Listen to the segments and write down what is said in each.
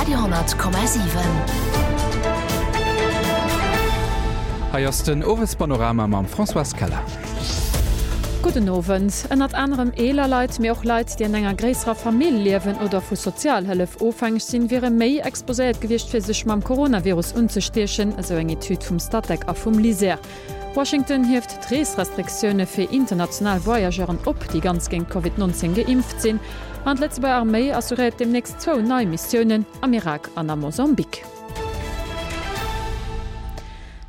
Radio 10,7. Hei ass den Owespanorama mam Françoise Keller. Gudden Owend. Ënnert anerem eeler Leit, mee och Leit, déi an enger gréisserer Famill liewen oder vu Sozialhëllef ofhängeg sinn, wiere méi exposéiert gewiescht, fir sech mam Coronavirus unzestiechen, esou eng Etüd vum Statec a vum LISER. Washington hieft d'Reesrestriktioune fir international Voyageuren op, déi ganz géint Covid 19 geimpft sinn. An d'Lëtzebuerger Arméi assuréiert deemnächst zwou nei Missiounen am Irak an am Mosambik.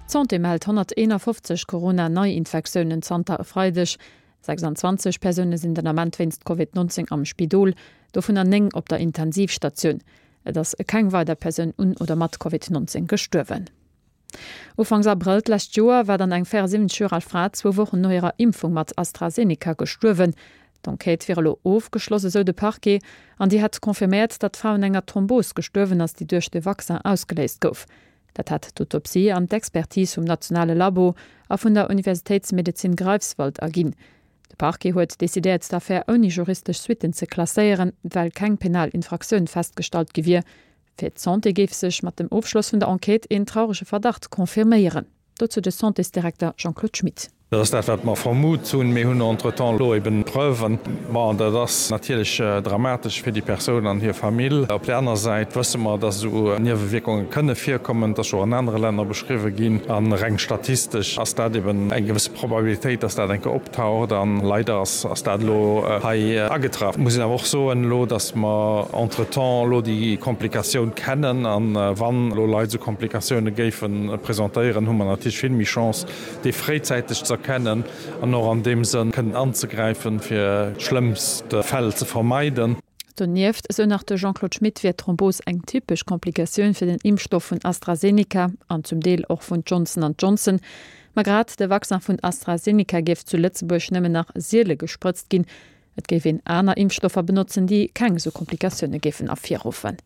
D'Santé mellt 151 Corona-Neiinfektiounen zanter e Freideg. 26 Persoune sinn den Ament wéinst Covid 19 am Spidol, dovunner 9 op der Intensivstatioun. Et ass keng weider Persoun un oder mat Covid 19 gestuerwen. Ufanks Abrëll d'lescht Joer war dann eng 74 Joer al Fra zwou Wochen no hirer Impfung mat AstraZeneca gestuerwen. D'Enquête wier elo ofgeschloss, esou de Parquet, an déi hätt confirméiert, datt d'Fra un enger Thrombos gestuerwen ass, déi duerch de Vaccin ausgeléist gouf. Dat hätt d'Autopsie an d'Expertise vum nationale Labo a vun der Universitéitsmedezin Greifswald erginn. De Parquet huet decidéiert, d'Affär ouni juristesch Suitten ze klasséieren, well keng penal Infraktioun festgestallt gi wier. Fir d'Santé géif sech mat dem Ofschloss vun der Enquête een traurege Verdacht confirméieren. Dozou de Santésdirekter Jean-Claude Schmit. Dat ass dat, wat mer vermut hunn. Mir hunn entretemps elo eben Preuven. Bon, dat ass natierlech dramatesch fir déi Persoun an hir Famill. Op där aner Säit wësse mer, dass esou Niewewierkunge kënne virkommen. Dat ass scho an anere Länner beschriwwe ginn. A reng statistesch ass dat eben eng gewësse Probabilitéit, dass dat eng Kéier optaucht. A leider ass dat elo hei agetraff. Et muss een awer och soen elo, dass mer entretemps elo déi Komplikatioun kennen. A wann elo Leit esou Komplikatioune géife presentéieren, hu mer natierlech vill méi Chance, déi fréizäiteg ze erkennen an och an deem Sënn kënnen anzegräifen, fir schlëmmst Fäll ze vermeiden. Donieft, esou nach de Jean-Claude Schmit, wier d'Thrombos eng typesch Komplikatioun fir den Impfstoff vun AstraZeneca an zum Deel och vun Johnson an Johnson. Ma grad de Vaccin vun AstraZeneca géif zu Lëtzebuerg nëmmen nach siele gesprëtzt ginn. Et géif een aner Impfstoffer benotzen, déi keng esou Komplikatioune géifen ervirruffen.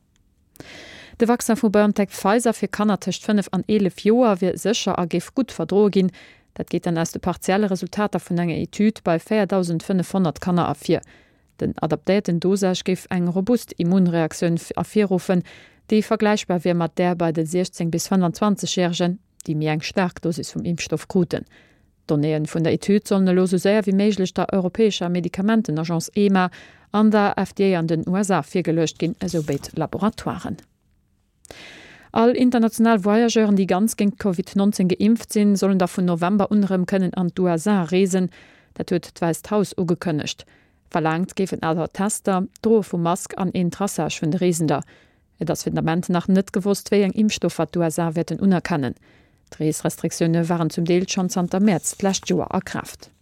De Vaccin vu BioNTech-Pfizer fir Kanner tëscht 5 an 11 Joer wier sécher a géif gutt verdroe ginn. Dat geet dann aus de partielle Resultater vun enger Etüd bei 4.500 Kanner ervir. Den adaptéierten Dosage géif eng robust Immunreaktioun ervirruffen, déi vergläichbar wier mat där bei de 16 bis 25 Järegen, déi méi eng staark Dosis vum Impfstoff kruten. D'Donnéeë vun der Etüd sollen elo sou séier wéi méiglech der europäescher Medikamentenagence EMA an der FDA an den USA virgeluecht ginn, esou béid Laboratoiren. All international Voyageuren, déi ganz géint Covid 19 geimpft sinn, sollen da vun November un erëm kënnen an d'USA reesen. Dat huet d'Wäisst Haus ugekënnegt. Verlaangt géifen awer Tester, d'Droe vu Mask an een Traçage vun de Reesender. Et ass fir den Ament nach net gewosst, wéi eng Impfstoffer d'USA wäerten unerkennen. D'Reesrestriktioune waren zum Deel schonn zanter Mäerz d'lescht Joer a Kraaft.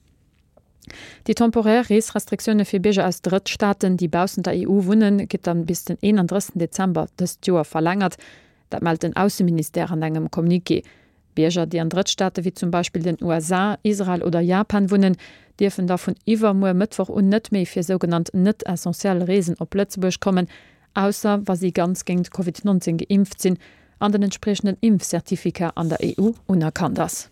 Déi temporär Reesrestriktioune fir Bierger aus Drëttstaaten, déi baussent der EU wunnen, gëtt dann bis den 31 Dezember dëst Joer verlängert. Dat mellt den Ausseministère an engem Communiqué. Bierger, déi an Drëttstaate wéi zum Beispill den USA, Israel oder Japan wunnen, dierfen da vun iwwermuer Mëttwoch un net méi fir sougenannt net-essentiell Reesen op Lëtzebuerg kommen, ausser wa si ganz géint Covid 19 geimpft sinn an den entspriechenden Impfcertificat an der EU unerkannt ass.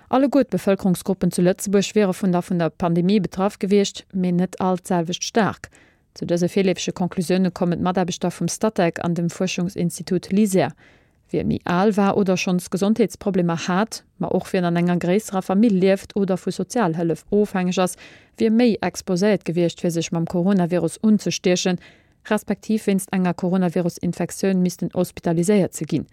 Alleguer d'Bevëlkerungsgruppen zu Lëtzebuerg wiere vun der vun der Pandemie betraff gewiescht, mee net all d'selwecht staark. Zu dëse virleefege Conclusioune kommen d'Mataarbechter vum Statec an dem Fuerschungsinstitut LISER. Wie méi al war oder schonns Gesondheetsproblemer hat, ma och wien an enger gréisserer Famill lieft oder vu Sozialhëllef ofhängeg ass, wier méi exposéiert gewiescht, fir sech mam Coronavirus unzestiechen, respektiv wéinst enger Coronavirus-Infektioun missten hospitaliséiert ze ginn.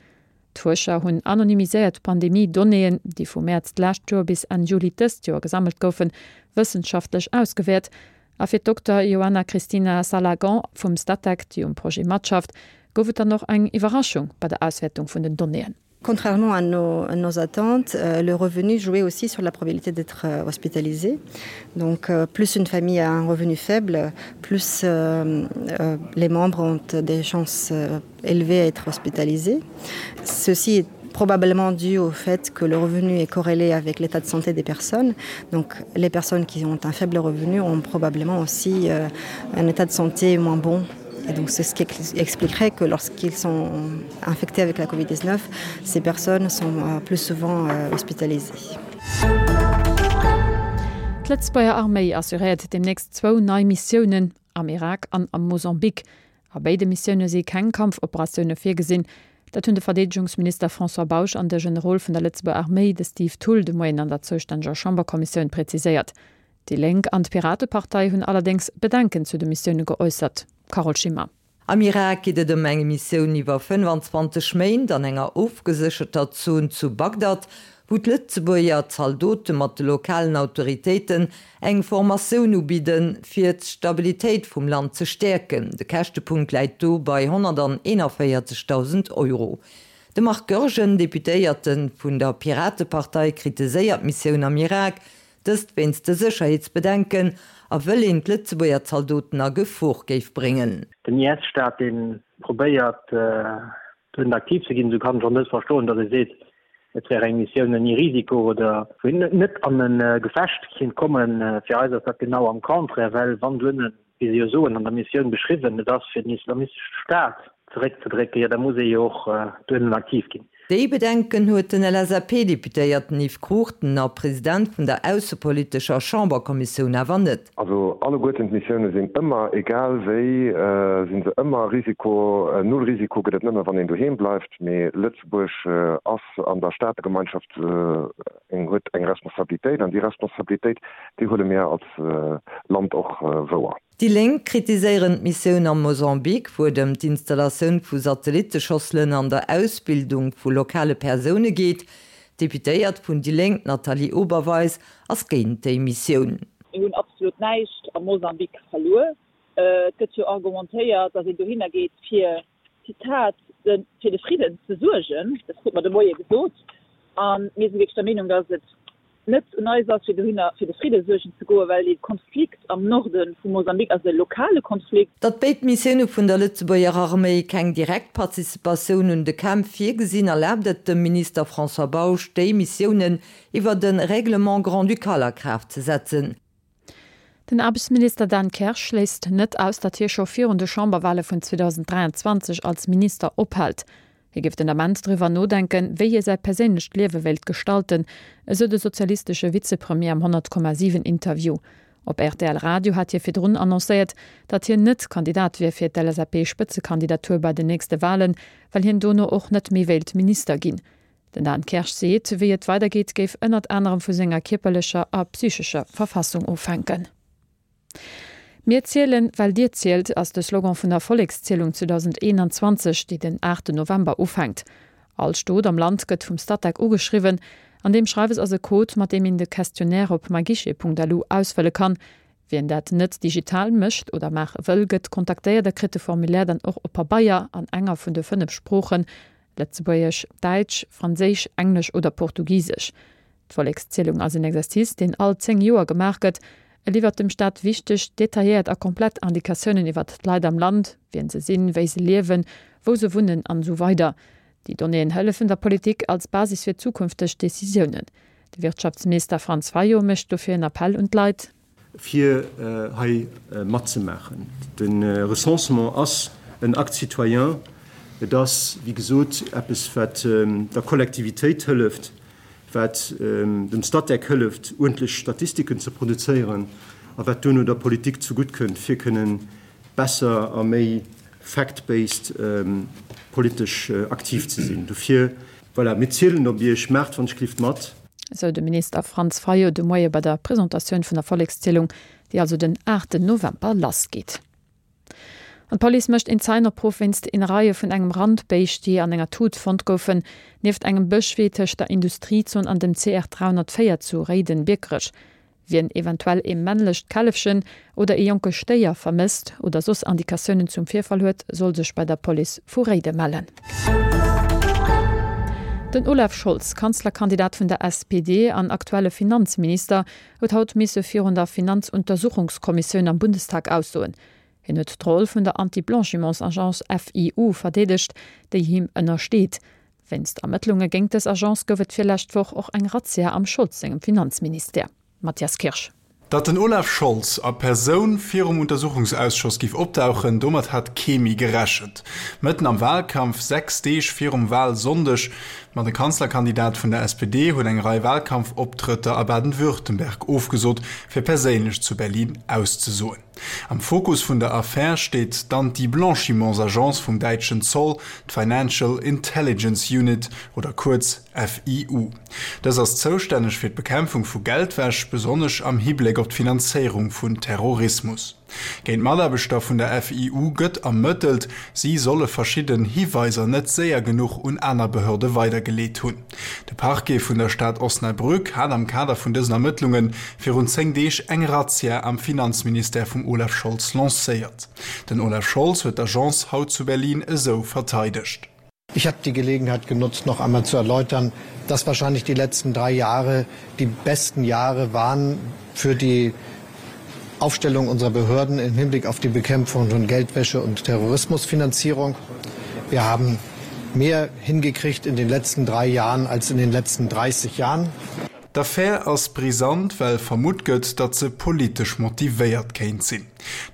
D'Fuerscher hunn anonymiséiert Pandemie-Donnéeën, déi vu Mäerz d'lescht Joer bis Enn Juli dëst Joer gesammelt goufen, wëssenschaftlech ausgewäert. A fir d'Dokter Ioana Cristina Salagan vum Statec, déi um Projet matschafft, gouf et dann och eng Iwwerraschung bei der Auswäertung vun den Donnéeën. Contrairement à nos, à nos attentes, euh, le revenu jouait aussi sur la probabilité d'être euh, hospitalisé. Donc euh, plus une famille a un revenu faible, plus euh, euh, les membres ont des chances euh, élevées à être hospitalisés. Ceci est probablement dû au fait que le revenu est corrélé avec l'état de santé des personnes. Donc les personnes qui ont un faible revenu ont probablement aussi euh, un état de santé moins bon. Et donc c'est ce qui expliquerait que lorsqu'ils sont infectés avec la COVID-19, ces personnes sont euh, plus souvent euh, hospitalisées. D'Lëtzebuerger Arméi assuréiert deemnächst zwou nei Missiounen am Irak an am Mosambik. A béide Missioune si keng Kampfoperatioune virgesinn. Dat hunn de Verdeedegungsminister François Bausch an de Generol vun der Lëtzebuerger Arméi, de Steve Thull, de Moien an der zoustänneger Chamberkommissioun präziséiert. Déi Lénk an d'Piratepartei hunn allerdéngs Bedenken zu de Missioune geäussert. Carole Schimmer. Am Irak geet et ëm eng Missioun iwwer 25 Méint an enger ofgesécherter Zon zu Bagdad, wou d'Lëtzebuerger Zaldote mat de lokalen Autoritéiten eng Formatioun ubidden, fir d'Stabilitéit vum Land ze stäerken. De Käschtepunkt läit do bei 141.000 Euro. De Marc Goergen, Deputéierte vun der Piratepartei, kritiséiert d'Missioun am Irak, Dëst wéinst de Sécherheetsbedenken a wëll een d'Lëtzebuerger Zaldoten a Gefor géif bréngen. Den IS-Staat, dee probéiert dohin aktiv ze ginn, esou kann ech och net verstoen, datt ee seet, et wär eng Missioun ouni Risiko oder wou een net an e Gefecht kéint kommen. Fir eis ass dat genau am Contraire, well wann duerno, wéi se jo soen, an der Missioun beschriwwen, et ass fir den Islamistesche Staat zeréckzedrécken, jo da muss ee jo och duerno aktiv ginn. Déi Bedenken huet den LSAP-Deputéierten Yves Cruchten a President vun der aussepolitescher Chamberkommissioun awer net. Also alleguerten d'Missioune sinn ëmmer, egal wéi, si se ëmmer Risiko. Null Risiko gëtt et nëmme wann een doheem bleift. Mee Lëtzebuerg ass an der Staategemeinschaft eng, huet eng Responsabilitéit an déi Responsabilitéit, déi huele mir als Land och wouer. Déi Lénk kritiséieren d'Missioun am Mosambik, wou et ëm d'Installatioun vu Satelliteschosselen an der Ausbildung vu lokale Persoune geet. D'Deputéiert vun déi Lénk, d'Nathalie Oberweis, ass géint déi Missioun. Mir hunn absolut näischt am Mosambik verluer. Et gëtt jo argumentéiert, datt een dohinner geet fir, Zitat, de fir de Fridden ze suergen. Dat krute mer de Moie gesot. A mir si wierklech der Meenung, datt et net un eis ass, fir dohinner fir de Fridde suergen ze goen, well dee Konflikt am Norde vu Mosambik ass e lokale Konflikt. Datt béid Missioune vun der Lëtzebuerger Arméi keng direkt Participatioun un de Kämpf virgesinn, erlaabt et dem Minister François Bausch, déi Missiounen iwwert e Règlement grand-ducal a Kraaft ze setzen. Den Aarbechtsminister Dan Kersch schléisst net aus, datt hie scho virun de Chamberwale vun 2023 als Minister ophält. Hie géif den Ament driwwer nodenken, wéi hie säi perséinlecht Liewe wéilt gestalten, esou de sozialistesche Vizepremier am 100,7 Interview. Op rtl Radio hat hie virdrun annoncéiert, datt hien net Kandidat wier fir d'LSAP-Spëtzekandidatur bei den nächste Walen, well hien dono och net méi wéilt Minister ginn. Den Dan Kersch seet, wéi et weidergeet, géif ënnert anerem vu senger kierperlecher a psychescher Verfassung ofhänken. Mir zielen, well dir zielt ass de Slogan vun der Vollekszielung 2021, déi den 8 November ufänkt. All Stot am Land gëtt vum Statec ugeschriwwen. An deem Schreiwes ass e Code, mat deem een de Questionnaire op myguichet.lu ausfëlle kann. Wien dat net digital mécht oder maache wëll, gëtt kontaktéiert a kritt de Formulaire dann och op Pabeier an enger vun de 5 Sproochen, Lëtzebuergesch, Däitsch, Franséisch, Englesch oder Portugisesch. D'Vollekszielung ass en Exercice, deen all 10 Joer gemaach gëtt. E liwwert dem Staat wichteg, detailléiert a komplett Indikatiounen iwwert d'Leit am Land, wien se sinn, wéi se liewen, wou se wunnen an esou weider Déi Donnéeën hëllefen der Politik als Basis fir zukünfteg Decisiounen. De Wirtschaftsminister Franz Fayot mécht dofir en Appell un d'Leit. Fir hei matzemaachen. De Recensement ass en Acte citoyen. Et ass, wéi gesot, eppes, wat der Kollektivitéit hëlleft, wat dem Statec hëlleft, uerdentlech Statistiken ze produzéieren a wat duerno der Politik zegutt kënnt, fir kënnen besser a méi fact-based politesch aktiv ze sinn. Dofir, voilà, mir zielen op Iech. Maacht wann ech glift mat. Esou de Minister Franz Fayot de Moie bei der Presentatioun vun der Vollekszielung, déi also den 8 November lassgeet. An d'Police mécht een Zeienopruff wéinst Innereie vun engem Randbéischt, déi an enger Tut fonnt goufen, nieft engem Bëschwee tëscht der Industriezon an dem CR 304 zu Réiden-Biekerech. Wien eventuell ee männlecht Källefchen oder ee jonke Stéier vermësst oder soss Indikatiounen zum Virfall huet, soll sech bei der Police vu Réide mellen. Den Olaf Scholz, Kanzlerkandidat vun der SPD an aktuelle Finanzminister, huet haut misse virun der Finanzuntersuchungskommissioun am Bundestag aussoen. Hien huet d'Roll vun der Anti-Blanchiments-Agence FIU verdeedegt, déi him ënnersteet. Wéinst Ermëttlunge géint dës Agence gouf et virlescht Woch och eng Razzia am Scholz sengem Finanzministère. Mathias Kirsch. Datt den Olaf Scholz a Persoun virum Untersuchungsausschoss géif opdauchen, domat hat kee méi gerechent. Mëtten am Walkampf, 6 Deeg virum Walsonndeg. Ma de Kanzlerkandidat vun der SPD huet eng Rei Wahlkampfoptrëtter a Baden-Württemberg ofgesot, fir perséinlech zu Berlin auszesoen. Am Fokus vun der Affär steet d'Anti-Blanchiments-Agence vum däitschen Zoll, d'Financial Intelligence Unit oder kuerz FIU. Dës ass zoustänneg fir d'Bekämpfung vu Geldwäsch, besonnesch am Hibléck op d'Finanzéierung vun Terrorismus. Géint Mataarbechter vun der FIU gëtt ermëttelt. Si solle verschidden Hiweiser net séier genuch un aner Behörde weidergeleet hunn. De Parquet vun der Stad Osnabrück hat am Kader vun dësen Ermëttlunge virun 10 Deeg eng Razzia am Finanzministère vum Olaf Scholz lancéiert. Den Olaf Scholz huet d'Agence haut zu Berlin esou verteidegt. Ich habe die Gelegenheit genutzt, noch einmal zu erläutern, dass wahrscheinlich die letzten drei Jahre die besten Jahre waren für die Aufstellung unserer Behörden im Hinblick auf die Bekämpfung von Geldwäsche und Terrorismusfinanzierung. Wir haben mehr hingekriegt in den letzten drei Jahren als in den letzten 30 Jahren. D'Affär ass brisant, well vermutt gëtt, datt se politesch motivéiert kéint sinn.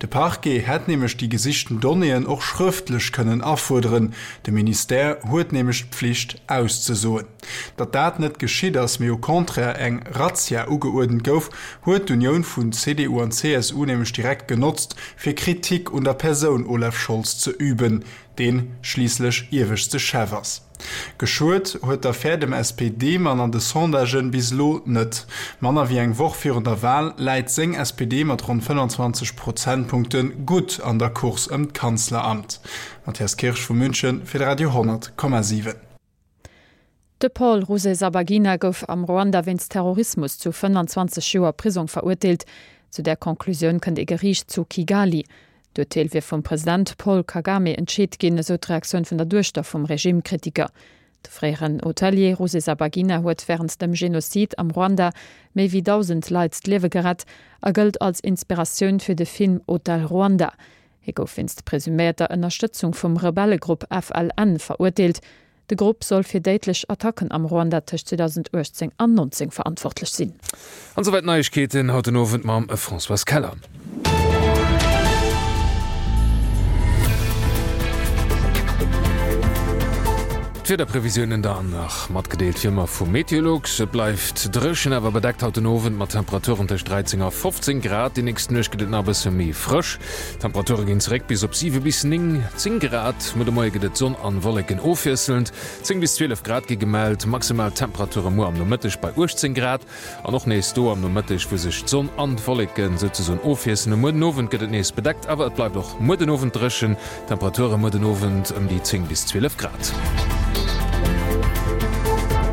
De Parquet hätt nämlech déi gesichten Donnéeën och schrëftlech kënnen afuerderen, de Ministère huet nämlech d'Pflicht auszesoen. Datt dat net geschitt ass, mee au contraire eng Razzia ugeuerdent gouf, huet d'Unioun vun CDU an CSU nämlech direkt genotzt, fir Kritik un der Persoun Olaf Scholz ze üben, dee schliisslech ieweschte Chef ass. Geschuet huet d'Affär dem SPD-Mann an de Sondagen bis elo net. Manner wéi eng Woch virun der Wal läit seng SPD mat ronn 25 Prozentpunkte gutt an der Course ëm d'Kanzleramt. Matthias Kirsch vu München fir de Radio 10,7. De Paul Rusesabagina gouf am Ruanda wéinst Terrorismus zu 25 Joer Prisong verurteelt. Zu där Conclusioun kënnt ee Geriicht zu Kigali. D'Urteel wier vum President Paul Kagame entscheet ginn, esou d'Reaktioun vun der Duechter vum Regimekritiker. De fréieren Hotelier Rusesabagina huet wärend dem Genozid am Ruanda méi wéi 1.000 Leit d'Liewe gerett a gëllt als Inspiratioun fir de Film Hotel Rwanda. Hie gouf wéinst presuméierter Ënnerstëtzung vum Rebellegrupp FLN verurteelt. De Grupp soll fir déidlech Attacken am Ruanda tëscht 2018 an 19 verantwortlech sinn. An souwäit d'Neiegkeeten haut den Owend mam Françoise Keller. D'Wiederprevisiounen dann nach matgedeelt wéi ëmmer vu Meteolux. Et bleift dréchen, awer bedeckt haut den Owend mat Temperaturen tëscht 13 a 15 Grad. Déi nächst Nuecht gëtt et nach e bësse méi frësch. D'Temperature ginn zeréck bis op 7 bis 9, 10 Grad. Muer de Moie gëtt et Sonn an Wolleken ofwiesselnd. 10 bis 12 Grad gi gemellt. Maximal Temperature muer am Nomëtteg bei 18 Grad an och nees do am Nomëtteg, wou sech d'Sonn an d'Wolleken souzesoen ofwiesselen. Muer den Owend gëtt et nees bedeckt, awer et bleift och muer den Owend dréchen. Temperature muer den Owend ëm déi 10 bis 12 Grad.